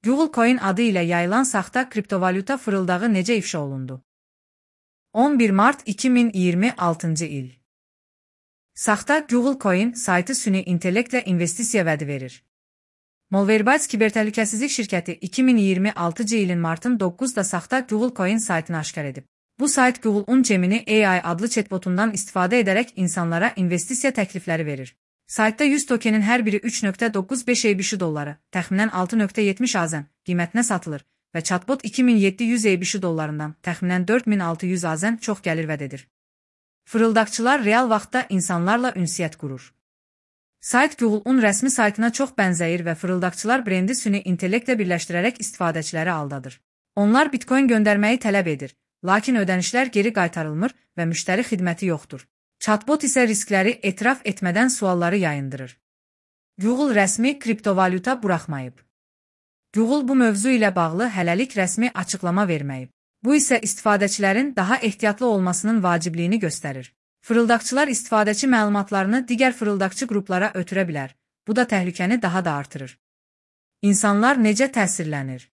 Google Coin adı ilə yayılan saxta kriptovalyuta fırıldağı necə ifşa olundu? 11 mart 2026-cı il. Saxta Google Coin saytı süni intellektlə investisiya vədi verir. Malwarebytes kibertəhlükəsizlik şirkəti 2026-cı ilin martın 9-da saxta Google Coin saytını aşkar edib. Bu sayt Google'un Gemini AI adlı chatbotundan istifadə edərək insanlara investisiya təklifləri verir. Saytda 100 tokenin hər biri 3.95 ABC dolları, təxminən 6.70 AZN qiymətinə satılır və chatbot 2700 ABC dollarından, təxminən 4600 AZN çox gəlir vəd edir. Fırıldaqçılar real vaxtda insanlarla ünsiyyət qurur. Sayt Google'un rəsmi saytına çox bənzəyir və fırıldaqçılar brendi süni intellektlə birləşdirərək istifadəçiləri aldadır. Onlar Bitcoin göndərməyi tələb edir, lakin ödənişlər geri qaytarılmır və müştəri xidməti yoxdur. Chatbot isə riskləri etiraf etmədən sualları yayındırır. Google rəsmi kriptovalyuta buraxmayıb. Google bu mövzu ilə bağlı hələlik rəsmi açıqlama verməyib. Bu isə istifadəçilərin daha ehtiyatlı olmasının vacibliyini göstərir. Fırıldaqçılar istifadəçi məlumatlarını digər fırıldaqçı qruplara ötürə bilər. Bu da təhlükəni daha da artırır. İnsanlar necə təsirlənir?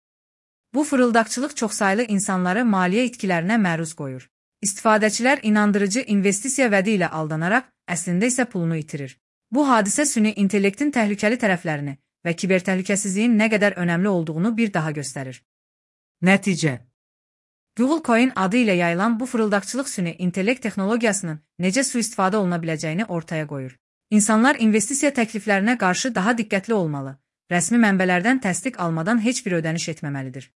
Bu fırıldaqçılıq çoxsaylı insanları maliyyə itkilərinə məruz qoyur. İstifadəçilər inandırıcı investisiya vədi ilə aldanaraq, əslində isə pulunu itirir. Bu hadisə süni intellektin təhlükəli tərəflərini və kibertəhlükəsizliyin nə qədər önəmli olduğunu bir daha göstərir. Nəticə: Google Coin adı ilə yayılan bu fırıldaqçılıq süni intellekt texnologiyasının necə sui-istifadə oluna biləcəyini ortaya qoyur. İnsanlar investisiya təkliflərinə qarşı daha diqqətli olmalı, rəsmi mənbələrdən təsdiq almadan heç bir ödəniş etməməlidir.